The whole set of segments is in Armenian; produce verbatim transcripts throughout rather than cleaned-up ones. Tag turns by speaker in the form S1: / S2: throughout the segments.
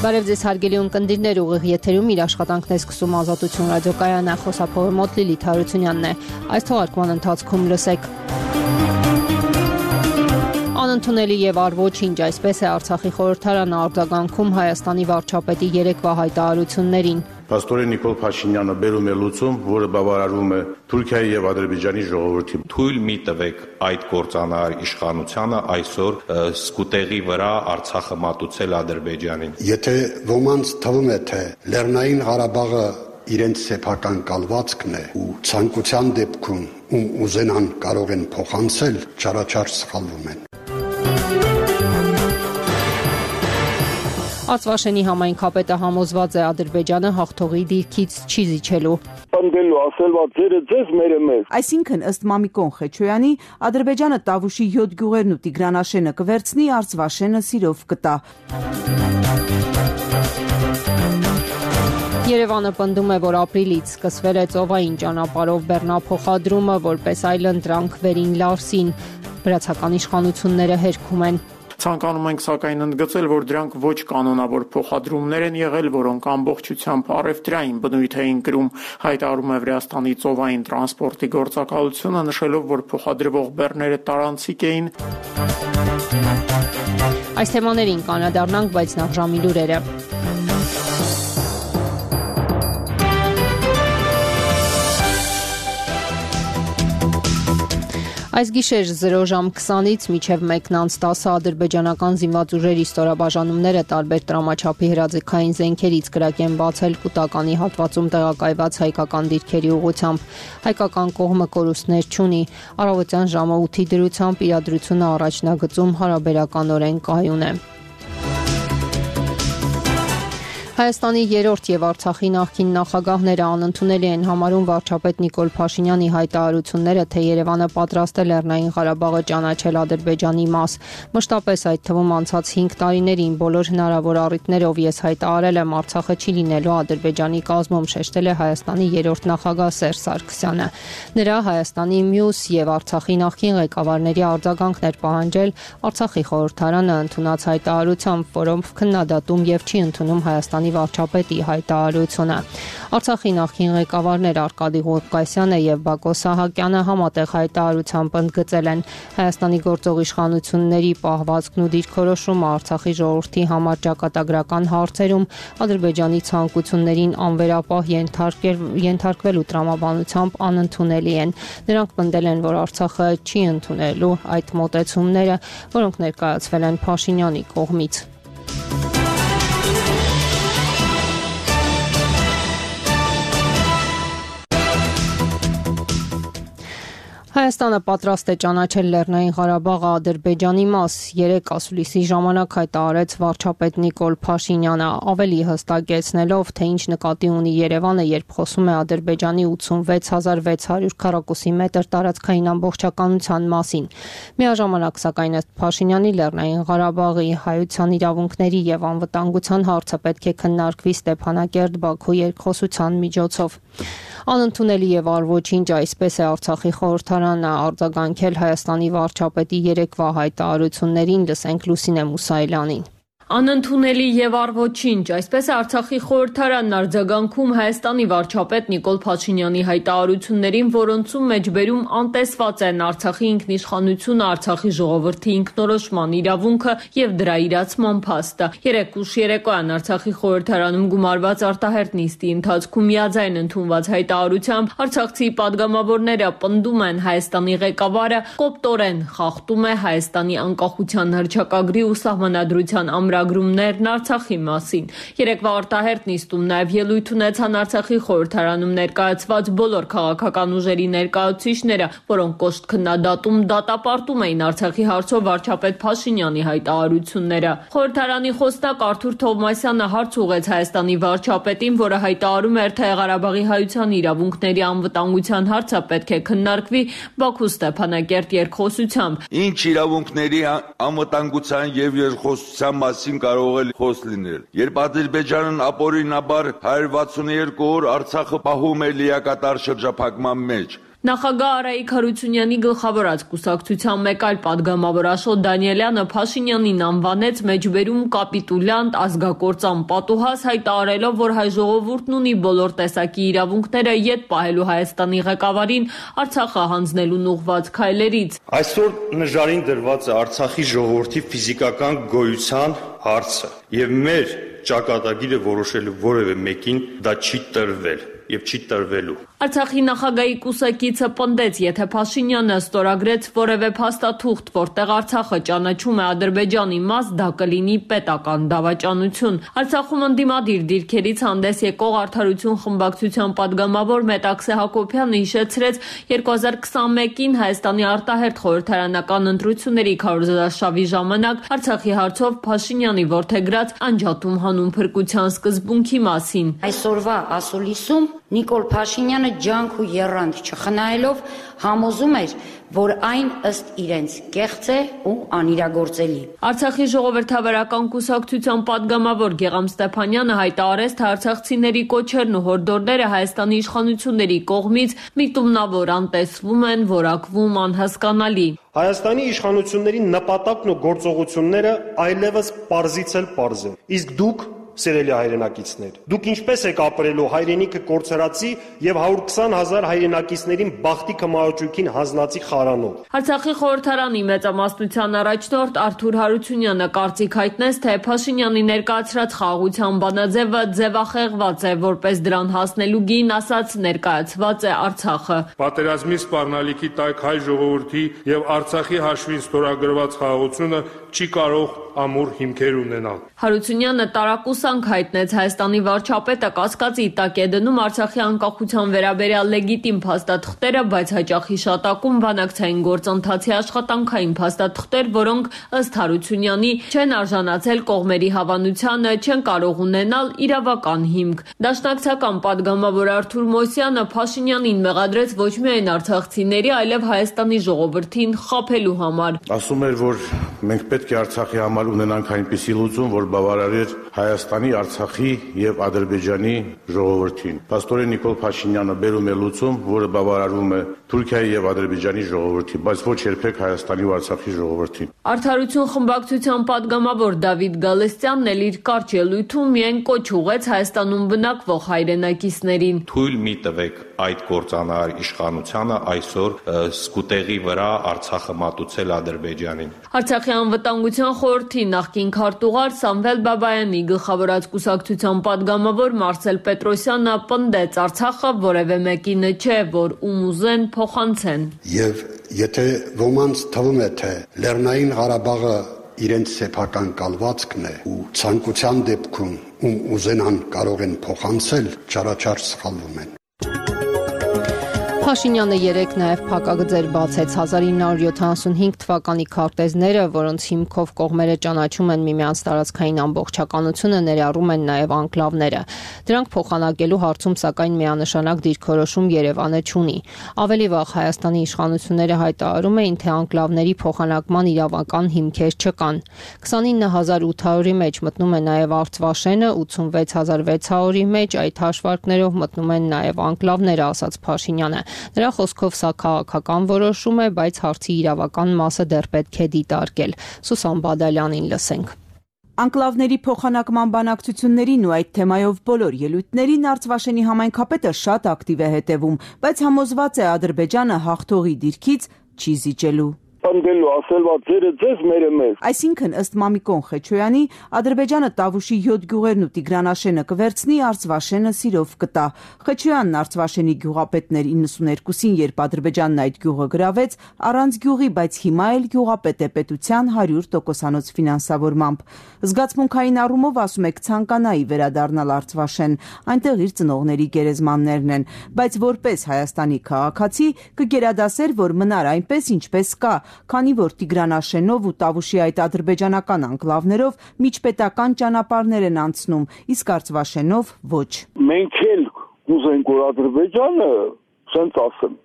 S1: Բարև ձեզ հարգելի ունկնդիրներ, ուղիղ եթերում իր աշխատանքն է սկսում Ազատություն ռադիոկայանը, խոսափողը մոտ Լիլիթ Հարությունյանն է։ Այս թողարկման ընթացքում լսեք. Անընդունելի եւ առոչինչ, այսպես է Արցախի խորհրդարանը արձագանքում Հայաստանի վարչապետի երեկվա հայտարարություններին։
S2: Պաստորեն Նիկոլ Փաշինյանը բերում է լուծում, որը բավարարում է Թուրքիայի եւ Ադրբեջանի ժողովրդի։
S3: Թույլ մի տվեք այդ կործանար իշխանությանը այսօր սկուտեղի վրա Արցախը մատուցել Ադրբեջանին։
S4: Եթե ոմանց թվում է, թե Լեռնային Ղարաբաղը իրենց սեփական կալվածքն է ու ցանկության դեպքում ում ուզենան կարող են փոխանցել, չարաչար սխալվում են։
S1: Արցվաշենի համայնքապետը համոզված է Ադրբեջանը հաղթողի դիրքից չի զիջելու։
S5: Պնդելու ասելված ձերը ձեզ մերը մեզ։
S6: Այսինքն ըստ Մամիկոն Խեչոյանի Ադրբեջանը Տավուշի յոթ գյուղերն ու Տիգրանաշենը կվերցնի, Արցվաշենը սիրով կտա։
S1: Երևանը պնդում է, որ ապրիլից սկսվել է ծովային ճանապարհով բեռնափոխադրումը, որպես այլընտրանք Վերին Լարսին։ Վրացական իշխանությունները հերքում են։
S7: Ցանկանում ենք սակայն ընդգծել, որ դրանք ոչ կանոնավոր փոխադրումներ են եղել, որոնք ամբողջությամբ առևտրային բնույթ էին կրում, հայտարարում է Վրաստանի ծովային տրանսպորտի գործակալությունը, նշելով, որ փոխադրվող բեռները տարանցիկ էին։
S1: Այս թեմաներին կանադառնանք, բայց նախ ժամի լուրերը։ Այս գիշեր զրո ժամ քսանից մինչև մեկն անց տասը ադրբեջանական զինված ուժերի ստորաբաժանումները տարբեր տրամաչափի հրաձգային զենքերից կրակ են բացել կուտականի հատվածում տեղակայված հայկական դիրքերի ուղղությամբ։ Հայկական կողմը կորուստներ չունի։ Առավոտյան ժամը ութի դրությամբ իրադրությունը առաջնագծում հարաբերականորեն կայուն է։ Հայաստանի երրորդ եւ Արցախի նախկին նախագահները անընդունելի են համարում վարչապետ Նիկոլ Փաշինյանի հայտարարությունները, թե Երևանը պատրաստ է Լեռնային Ղարաբաղը ճանաչել Ադրբեջանի մաս։ Մշտապես այդ թվում անցած հինգ տարիներին բոլոր հնարավոր առիթներով ես հայտարարել եմ Արցախը չի լինելու Ադրբեջանի կազմում, շեշտել է Հայաստանի երրորդ նախագահ Սերժ Սարգսյանը։ Նրա Հայաստանի մյուս եւ Արցախի նախկին ղեկավարների արձագանքն էր պահանջել Արցախի խորհրդարանը ընդունած հայտարարությամբ, որով քննադատում եւ չի ընդունում Հայաստանի վարչապետի հայտարարությունը։ Արցախի նախկին ղեկավարներ Արկադի Ղուկասյանը եւ Բակո Սահակյանը համատեղ հայտարարությամբ ընդգծել են Հայաստանի գործող իշխանությունների պահվածքն ու դիրքորոշումը Արցախի ժողովրդի համար ճակատագրական հարցերում Ադրբեջանի ցանկություններին անվերապահ ենթարկվելու տրամաբանությամբ անընդունելի են։ Նրանք պնդել են, որ Արցախը չի ընդունելու այդ մոտեցումները, որոնք ներկայացվել են Փաշինյանի կողմից։ Հայաստանը պատրաստ է ճանաչել Լեռնային Ղարաբաղը Ադրբեջանի մաս, երեկ ասուլիսի ժամանակ հայտարարեց վարչապետ Նիկոլ Փաշինյանը, ավելի հստակեցնելով, թե ինչ նկատի ունի Երևանը, երբ խոսում է Ադրբեջանի ութսունվեց հազար վեց հարյուր քառակուսի մետր տարածքային ամբողջականության մասին։ Միաժամանակ, սակայն ըստ Փաշինյանի, Լեռնային Ղարաբաղի հայության իրավունքների եւ անվտանգության հարցը պետք է քննարկվի Ստեփանակերտ-Բաքու երկխոսության միջոցով։ Անընդունելի եւ առոչինչ, այսպես է Արցախի խորհրդարանը արձագանքել Հայաստանի վարչապետի երեկվա հայտարարություններին, լսենք Լուսինե Մուսայելյանին։
S8: Անընդունելի եւ առոչինչ, այսպես է Արցախի խորհրդարանն արձագանքում Հայաստանի վարչապետ Նիկոլ Փաշինյանի հայտարարություններին, որոնցում մեջբերում անտեսված են Արցախի ինքնիշխանությունը, Արցախի ժողովրդի ինքնորոշման իրավունքը եւ դրա իրացման փաստը։ Երեկ ուշ երեկոյան Արցախի խորհրդարանում գումարված արտահերթ նիստի ընթացքում միաձայն ընդունված հայտարարությամբ արցախցի падգամավորները պնդում են Հայաստանի ղեկավարը կոպտորեն խախտում է Հայաստանի անկախության հռչակագրի ու սահմանադրության ամրագրումներն Արցախի մասին։ Երեկվա արտահերթ նիստում նաև ելույթ ունեցան Արցախի խորհրդարանում ներկայացված բոլոր քաղաքական ուժերի ներկայացուցիչները, որոնք կոշտ քննադատում դատապարտում էին Արցախի հարցով վարչապետ Փաշինյանի հայտարարությունները։ Խորհրդարանի խոսնակ Արթուր Թովմասյանը հարց ուղղեց Հայաստանի վարչապետին, որը հայտարարում էր, թե Ղարաբաղի հայության իրավունքների անվտանգության հարցը պետք է քննարկվի Բաքու Ստեփանակերտ երկխոսությամբ։
S9: Ինչ իրավունքների անվտանգության եւ երկխոսության մասին կարող է խոս լինել։ Երբ Ադրբեջանն ապօրինաբար հարյուր վաթսունուերկու օր Արցախը պահում է լիակատար շրջափակման մեջ,
S8: Նախագահ Արայիկ Հարությունյանի գլխավորած կուսակցության մեկ այլ պատգամավոր Աշոտ Դանիելյանը Փաշինյանին անվանեց մեջբերում կապիտուլյանտ, ազգակործան պատուհաս, հայտարարելով, որ հայ ժողովուրդն ունի բոլոր տեսակի իրավունքները ետ պահելու Հայաստանի ղեկավարին Արցախը հանձնելուն ուղղված քայլերից։
S10: Այսօր նժարին դրված է Արցախի ժողովրդի ֆիզիկական գոյության հարցը, եւ մեր ճակատագիրը որոշելու որևէ մեկին դա չի տրվել եւ չի տրվելու։
S8: Արցախի նախագահի կուսակիցը պնդեց, եթե Փաշինյանը ստորագրեց որևէ փաստաթուղթ, որտեղ Արցախը ճանաչում է Ադրբեջանի մաս, դա կլինի պետական դավաճանություն։ Արցախում ընդդիմադիր դիրքերից հանդես եկող Արդարություն խմբակցության падգամավոր Մետաքսե Հակոբյանը հիշեցրեց երկու հազար քսանմեկին Հայաստանի արտահերթ խորհրդարանական ընտրությունների քարոզարշավի ժամանակ Արցախի հարցով Փաշինյանի որդեգրած անջատում հանուն փրկության սկզբունքի մասին։
S11: Այսօրվա ասուլիսում Նիկոլ Փաշինյանը ջանք ու եռանդ չխնայելով համոզում էր, որ այն ըստ իրենց կեղծ է ու անիրագործելի։
S8: Արցախի ժողովրդավարական կուսակցության падգամավոր Գեգամ Ստեփանյանը հայտարարեց, թե արցախցիների կոչերն ու հորդորները Հայաստանի իշխանությունների կողմից միտումնավոր անտեսվում են, որակվում անհասկանալի։
S12: Հայաստանի իշխանությունների նպատակն ու գործողությունները այլևս պարզից էլ պարզ են։ Իսկ դուք Սիրելի հայրենակիցներ, դուք ինչպես եք ապրելու հայրենիքը կորցրածի եւ հարյուր քսան հազար հայրենակիցներին բախտի կմահաճույքին հանձնածի խարանով։
S8: Արցախի խորհրդարանի մեծամասնության առաջնորդ Արթուր Հարությունյանը կարծիք հայտնեց, թե Փաշինյանի ներկայացրած խաղաղության բանաձևը ձևախեղված է, որպես դրան հասնելու գին ասած ներկայացված է Արցախը։
S13: Պատերազմի սպառնալիքի տակ հայ ժողովրդի եւ Արցախի հաշվին ստորագրված խաղաղությունը չի կարող ամուր հիմքեր ունենալ։
S8: Հարությունյանը տարակուսանք հայտնեց Հայաստանի վարչապետը կասկածի տակ է դնում Արցախի անկախության վերաբերյալ լեգիտիմ փաստաթղթերը, բայց հաճախ հիշատակում բանակցային գործընթացի աշխատանքային փաստաթղթեր, որոնք ըստ Հարությունյանի չեն արժանացել կողմերի հավանությանը, չեն կարող ունենալ իրավական հիմք։ Դաշնակցական падգամավոր Արթուր Մոսյանը Փաշինյանին մեղադրեց ոչ միայն արցախցիների, այլև Հայաստանի ժողովրդին խաբելու համար։
S2: Ասում էր, որ մենք պետք է Արցախի համար ունենանք այնպիսի լուծում, որ բավարարեր Հայաստանի, Արցախի եւ Ադրբեջանի ժողովրդին։ Պաստորեն Նիկոլ Փաշինյանը բերում է լուծում, որը բավարարում է Թուրքիայի եւ Ադրբեջանի ժողովրդին, բայց ոչ երբեք Հայաստանի ու Արցախի ժողովրդին։
S8: Արդարություն խմբակցության падգամավոր Դավիթ Գալստյանն էլ իր կարճ ելույթում միայն կոչ ուղեց Հայաստանում բնակվող հայրենակիցներին։
S3: Թույլ մի տվեք այդ կործանար իշխանությանը այսօր սկուտեղի վրա Արցախը մատուցել Ադրբեջանին։
S8: Արցախի անվտանգության խորհրդի նախկին քարտուղար Սամվել Բաբայանի գլխավորած կուսակցության падգամավոր Մարսել Պետրոսյանը պնդեց Արցախը որևէ մեկինը չէ, որ ում ուզեն փոխանցեն։
S4: Եվ եթե ոմանց թվում է, թե Լեռնային Ղարաբաղը իրենց սեփական կալվածքն է ու ցանկության դեպքում ում ուզենան կարող են փոխանցել, չարաչար սխալվում են։
S1: Փաշինյանը երեկ նաև փակագծեր բացեց հազար ինը հարյուր յոթանասունհինգ թվականի քարտեզները, որոնց հիմքով կողմերը ճանաչում են միմյանց տարածքային ամբողջականությունը, ներառում են նաև անկլավները։ Դրանք փոխանակելու հարցում սակայն միանշանակ դիրքորոշում Երևանը չունի։ Ավելի վաղ Հայաստանի իշխանությունները հայտարարում էին, թե անկլավների փոխանակման իրավական հիմքեր չկան։ քսանինը հազար ութ հարյուրի մեջ մտնում է նաև Արցվաշենը, ութսունվեց հազար վեց հարյուրի մեջ այդ հաշվարկներով մտնում են նաև անկլավները, ասաց Փաշինյանը։ Նրա խոսքով սա քաղաքական որոշում է, բայց հարցի իրավական մասը դեռ պետք է դիտարկել։ Սուսան Բադալյանին լսենք։
S6: Անկլավների փոխանակման բանակցություններին ու այդ թեմայով բոլոր ելույթներին Արցվաշենի համայնքապետը շատ ակտիվ է հետևում, բայց համոզված է Ադրբեջանը հաղթողի դիրքից չի զիջելու։
S5: Անդելու ասելվա ձերը ձեզ մերը մեզ։
S6: Այսինքն ըստ Մամիկոն Խեչոյանի Ադրբեջանը Տավուշի յոթ գյուղերն ու Տիգրանաշենը կվերցնի, Արցվաշենը սիրով կտա։ Խեչոյանն Արցվաշենի գյուղապետն էր իննսուներկուսին, երբ Ադրբեջանն այդ գյուղը գրավեց, առանց գյուղի, բայց հիմա էլ գյուղապետ է պետության հարյուր տոկոսանոց ֆինանսավորմամբ։ Զգացմունքային առումով ասում եք ցանկանայի վերադառնալ Արցվաշեն, այնտեղ իր ծնողների գերեզմաններն են, բայց որպես Հայաստանի քաղաքացի կգերադասեր, որ մնար այնպես, ինչպես կա, քանի որ Տիգրանաշենով ու Տավուշի այդ ադրբեջանական անկլավներով միջպետական ճանապարհներ են անցնում, իսկ Արցվաշենով ոչ։
S5: Մենք էլ ուզենք, որ Ադրբեջանը, ասենց ասեմ,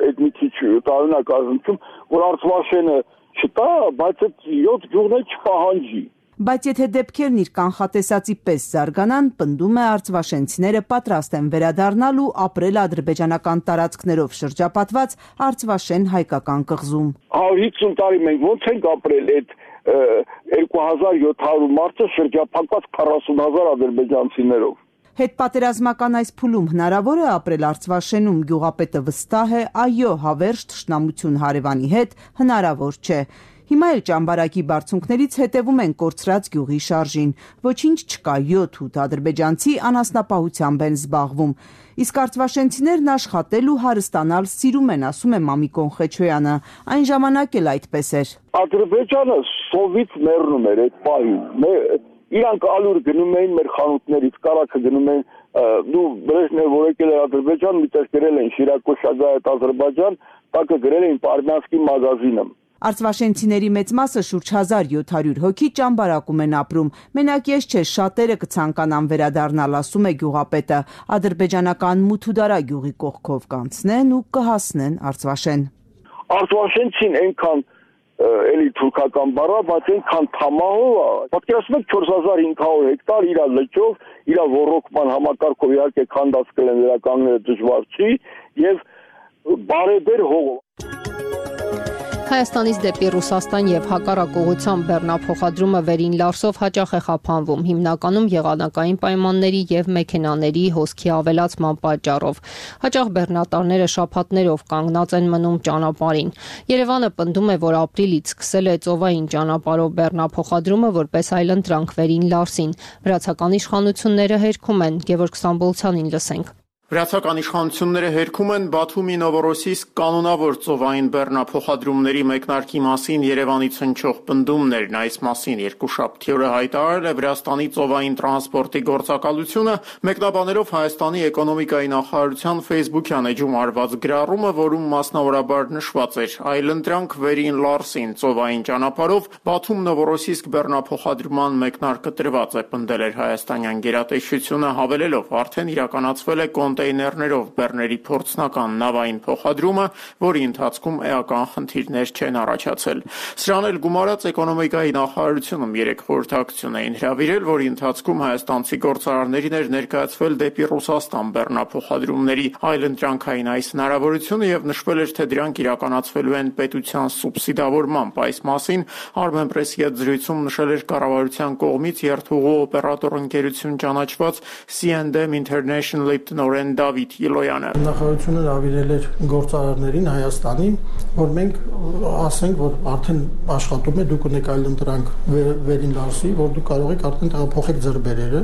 S5: այդ մի քիչ տարօրինակ ազնվում, որ Արցվաշենը չտա, բայց այդ յոթ գյուղներ չպահանջի։
S6: Բայց եթե դեպքերն իր կանխատեսածի պես զարգանան, պնդում է արցվաշենցիները պատրաստ են վերադառնալ ու ապրել ադրբեջանական տարածքներով շրջապատված Արցվաշեն հայկական կղզում։
S5: հարյուր հիսուն տարի մենք ոնց ենք ապրել այդ երկու հազար յոթ հարյուր մարդը շրջափակված քառասուն հազար ադրբեջանցիներով։
S6: Հետպատերազմական այս փուլում հնարավոր է ապրել Արցվաշենում, գյուղապետը վստահ է, այո, հավերժ թշնամություն հարևանի հետ հնարավոր չէ։ Հիմա էլ ճամբարակի բարձունքներից հետևում են կորցրած գյուղի շարժին։ Ոչինչ չկա, յոթ-ութ ադրբեջանցի անասնապահությամբ են զբաղվում։ Իսկ արցվաշենցիներն աշխատել ու հարստանալ սիրում են, ասում է Մամիկոն Խեչոյանը։ Այն ժամանակ էլ այդպես էր։
S5: Ադրբեջանը սովից մեռնում էր այդ պահին։ Իրանք ալուր գնում էին մեր խանութներից, կարակը գնում էին, դու Բրեժնև որ եկել էր Ադրբեջան, միտեղ գրել էին Շիրակո Շագայեթ Ադրբեջան, տակը գրել էին Պարմյանսկի մագազինը։
S6: Արցվաշենցիների մեծ մասը շուրջ հազար յոթ հարյուր հոգի ճամբարակում են ապրում։ Մենակ ես չէ, շատերը կցանկանան վերադառնալ, ասում է գյուղապետը։ Ադրբեջանական Մութուդարա գյուղի կողքով կանցնեն ու կհասնեն Արցվաշեն։
S5: Արցվաշենցին այնքան էլի թուրքական բառա, բայց այնքան թամահով է։ Պատկերացնում եք չորս հազար հինգ հարյուր հեկտար իր լճով, իր ռոռոկման համակարգով իհարկե քանդած կլեն վերականգնելը դժվար չի եւ բարեբեր հողով։
S1: Հայաստանից դեպի Ռուսաստան եւ հակառակ ուղղությամբ բեռնափոխադրումը վերին Լարսով հաճախ է խափանվում, հիմնականում եղանակային պայմանների եւ մեքենաների հոսքի ավելացման պատճառով։ Հաճախ բեռնատարները շաբաթներով կանգնած են մնում ճանապարհին։ Երևանը պնդում է, որ ապրիլից սկսել է ծովային ճանապարհով բեռնափոխադրումը որպես այլընտրանք վերին Լարսին։ Վրացական իշխանությունները հերքում են, Գևորգ Ստամբոլցյանին լսենք։
S7: Վրացական իշխանությունները հերքում են Բաթումի Նովորոսիսկ կանոնավոր ծովային բեռնափոխադրումների մեկնարկի մասին Երևանից հնչող պնդումներն։ Այս մասին երկուշաբթի օրը հայտարարել է Վրաստանի ծովային տրանսպորտի գործակալությունը, մեկնաբանելով Հայաստանի էկոնոմիկայի նախարարության Facebook-յան էջում արված գրառումը, որում մասնավորաբար նշված էր. այլընտրանք վերին Լարսին ծովային ճանապարհով Բաթում Նովորոսիսկ բեռնափոխադրման մեկնարկը տրված է, պնդել էր հայաստանյան գերատեսչությունը, հավելելով արդեն իրականացվել է կոնտեյներներով բեռների փորձնական նավային փոխադրումը, որի ընթացքում էական խնդիրներ չեն առաջացել։ Սրան էլ գումարած էկոնոմիկայի նախարարությունում երեք խորհրդակցություն էին հրավիրել, որի ընթացքում հայաստանցի գործարարներին էր ներկայացվել դեպի Ռուսաստան բեռնափոխադրումների այլընտրանքային այս հնարավորությունը եւ նշվել էր, թե դրանք իրականացվելու են պետության սուբսիդավորմամբ։ Այս մասին Armenpress-ի հետ զրույցում նշել էր կառավարության կողմից երթուղու օպերատոր ընկերություն ճանաչված C and M International-ի տնօրեն Դավիթ Յիլոյանը։
S14: Նախարարությունը հրավիրել էր գործարարներին Հայաստանի, որ մենք ասենք, որ արդեն աշխատում է, դուք ունեք այլընտրանք վերին Լարսի, որ դուք կարող եք արդեն տեղափոխեք ձեր բերերը,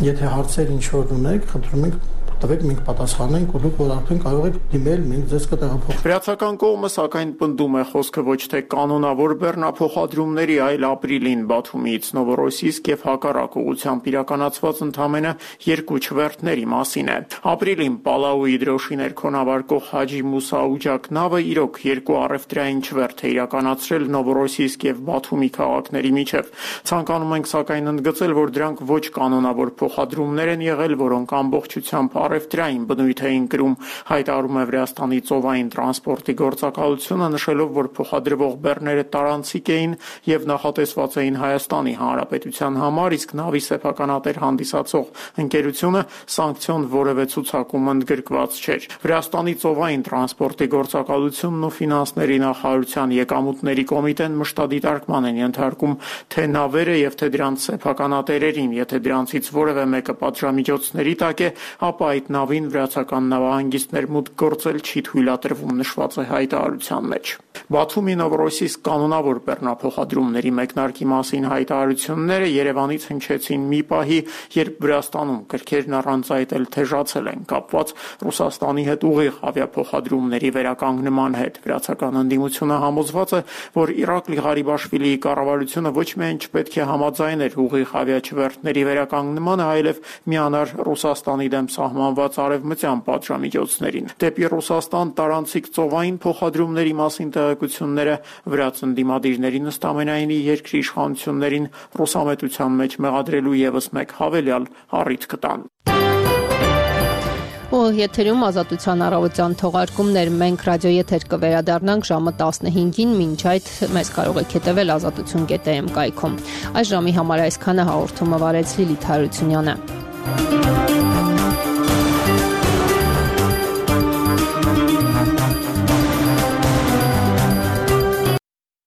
S14: եթե հարցեր ինչ որ ունեք, խնդրում ենք տվեք, մենք պատասխանենք ու դուք որ արդեն կարող եք դիմել, մենք ձեզ կտեղափոխենք։
S7: Վրացական կողմը սակայն պնդում է խոսքը ոչ թե կանոնավոր բեռնափոխադրումների, այլ ապրիլին Բաթումից Նովորոսիսկ եւ հակառակ ուղղությամբ իրականացված ընդամենը երկու չվերթների մասին է։ Ապրիլին Պալաուի դրոշի ներքոնավարկող Հաջի Մուսա Ուջակ նավը իրոք երկու առևտրային չվերթ է իրականացրել Նովորոսիսկ եւ Բաթումի քաղաքների միջև։ Ցանկանում ենք սակայն ընդգծել, որ դրանք ոչ կանոնավոր փոխադրումներ են եղել, որոնք ամբողջությամբ առևտրային բնույթ էին կրում, հայտարարում է Վրաստանի ծովային տրանսպորտի գործակալությունը, նշելով, որ փոխադրվող բեռները տարանցիկ էին եւ նախատեսված էին Հայաստանի Հանրապետության համար, իսկ նավի սեփականատեր հանդիսացող ընկերությունը սանկցիոն որևէ ցուցակում ընդգրկված չէր։ Վրաստանի ծովային տրանսպորտի գործակալությունն ու ֆինանսների նախարարության եկամուտների կոմիտեն մշտադիտարկման են ենթարկում թե նավերը եւ թե դրանց սեփականատերերին, եթե դրանցից որևէ մեկը պատժամիջոցների տակ է, ապա այդ նավին վրացական նավահանգիստներ մուտք գործել չի թույլատրվում, նշված է հայտարարության մեջ։ Բաթումի Նովորոսիսկ կանոնավոր բեռնափոխադրումների մեկնարկի մասին հայտարարությունները Երևանից հնչեցին մի պահի, երբ Վրաստանում կրքերն առանց այդ էլ թեժացել են կապված Ռուսաստանի հետ ուղիղ ավիափոխադրումների վերականգնման հետ։ Վրացական ընդդիմությունը համոզված է, որ Իրաკლի Ղարիբաշվիլիի կառավարությունը ոչ միայն չպետք է համաձայներ ուղիղ ավիաչվերթների վերականգնմանը, այլև միանար Ռուսաստանի դեմ սահմանված արևմտյան պատժամիջոցներին։ Դեպի Ռուսաստան տարանցիկ ծովային փոխադրումների մասին տեղեկությունները վրաց ընդդիմադիրներին ըստ ամենայնի երկրի իշխանություններին ռուսամետության մեջ մեղադրելու եւս մեկ հավելյալ առիթ կտան։
S1: Ու Գյուղ եթերում ազատության առավոտյան թողարկումներ, մենք ռադիոեթեր կվերադառնանք ժամը տասնհինգին, մինչ այդ մեզ կարող եք հետևել ազատություն կետ էմ կայքում։ Այս ժամի համար այսքանը հաղորդումը վարեց Լիլիթ Հարությունյանը։